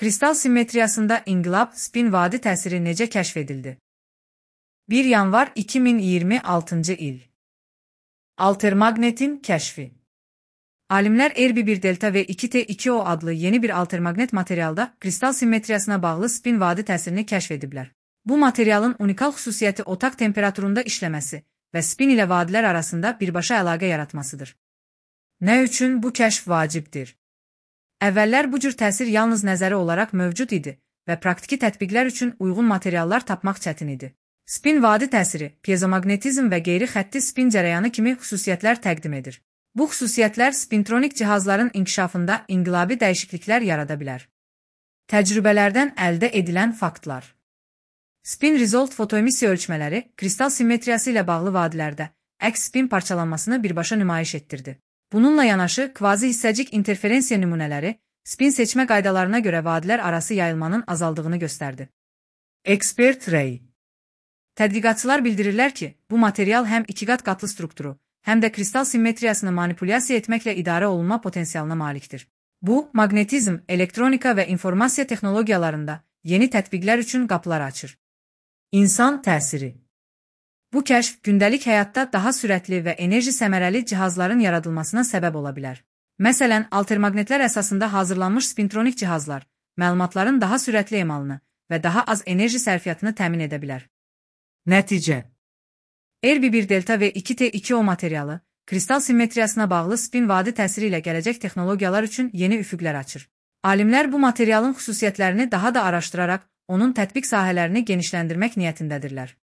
Kristal simmetriyasında inqilab spin vadi təsiri necə kəşf edildi? 1 yanvar 2026 il. Altermagnetin kəşfi. Alimlər Erbi-1 delta ve 2T2O adlı yeni bir altermagnet materialda kristal simmetriyasına bağlı spin vadi təsirini kəşf ediblər. Bu materialın unikal xüsusiyyəti otaq temperaturunda işləməsi və spin ilə vadilər arasında birbaşa əlaqə yaratmasıdır. Nə üçün bu kəşf vacibdir? Əvvəllər bu cür təsir yalnız nəzəri olaraq mövcud idi və praktiki tətbiqlər üçün uyğun materiallar tapmaq çətin idi. Spin vadi təsiri, piezomagnetizm və qeyri-xətti spin cərəyanı kimi xüsusiyyətlər təqdim edir. Bu xüsusiyyətlər spintronik cihazların inkişafında inqilabi dəyişikliklər yarada bilər. Təcrübələrdən əldə edilən faktlar. Spin result fotoemissiya ölçmələri kristal simmetriyası ilə bağlı vadilərdə əks spin parçalanmasını birbaşa nümayiş etdirdi. Bununla yanaşı kvazi hissəcik interferensiya nümunələri spin seçmə qaydalarına görə vadilər arası yayılmanın azaldığını göstərdi. Expert Ray. Tədqiqatçılar bildirirlər ki, bu material həm ikiqat qatlı strukturu, həm də kristal simmetriyasını manipulyasiya etməklə idarə olunma potensialına malikdir. Bu, maqnetizm, elektronika və informasiya texnologiyalarında yeni tətbiqlər üçün qapılar açır. İnsan təsiri. Bu kəşf gündəlik həyatda daha sürətli və enerji səmərəli cihazların yaradılmasına səbəb ola bilər. Məsələn, altermagnetlər əsasında hazırlanmış spintronik cihazlar məlumatların daha sürətli emalını və daha az enerji sərfiyyatını təmin edə bilər. Nəticə. Erbi-1 delta və 2T2O materialı kristal simmetriyasına bağlı spin vadi təsiri ilə gələcək texnologiyalar üçün yeni üfüqlər açır. Alimlər bu materialın xüsusiyyətlərini daha da araşdıraraq onun tətbiq sahələrini genişləndirmək niyyətindədirlər.